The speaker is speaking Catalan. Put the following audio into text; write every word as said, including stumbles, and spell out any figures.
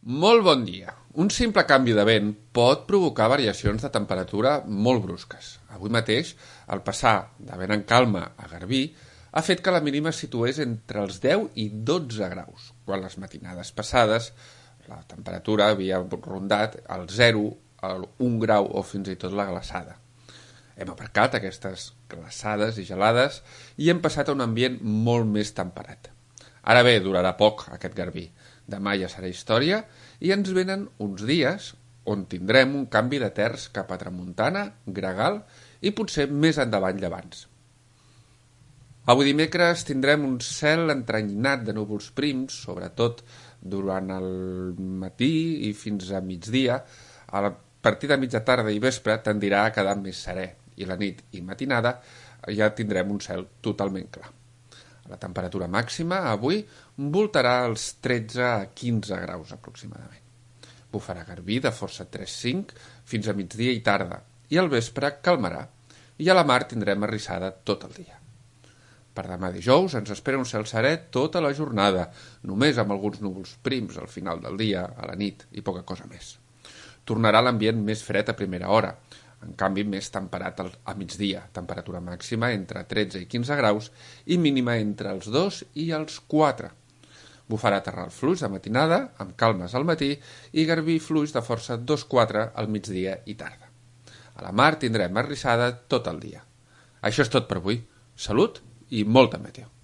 Molt bon dia. Un simple canvi de vent pot provocar variacions de temperatura molt brusques. Avui mateix, el passar de vent en calma a garbí ha fet que la mínima es situés entre els deu i dotze graus, quan les matinades passades la temperatura havia rondat el zero, el un grau o fins i tot la glaçada. Hem aparcat aquestes glaçades i gelades i hem passat a un ambient molt més temperat. Ara bé, durarà poc aquest garbí. Demà ja serà història i ens venen uns dies on tindrem un canvi de terç cap a tramuntana, gregal i potser més endavant llevants. Avui dimecres tindrem un cel entrenyinat de núvols prims, sobretot durant el matí i fins a migdia. A partir de mitja tarda i vespre tendirà a quedar més serè i la nit i matinada ja tindrem un cel totalment clar. La temperatura màxima avui voltarà als tretze a quinze graus aproximadament. Bufarà garbí de força tres cinc fins a migdia i tarda i al vespre calmarà i a la mar tindrem arrissada tot el dia. Per demà dijous ens espera un cel serè tota la jornada, només amb alguns núvols prims al final del dia, a la nit i poca cosa més. Tornarà l'ambient més fred a primera hora, en canvi més temperat a migdia, temperatura màxima entre tretze i quinze graus i mínima entre els dos i els quatre. Bufarà terral fluix de matinada, amb calmes al matí, i garbí fluix de força dos quatre al migdia i tarda. A la mar tindrem arrissada tot el dia. Això és tot per avui. Salut i molta meteo.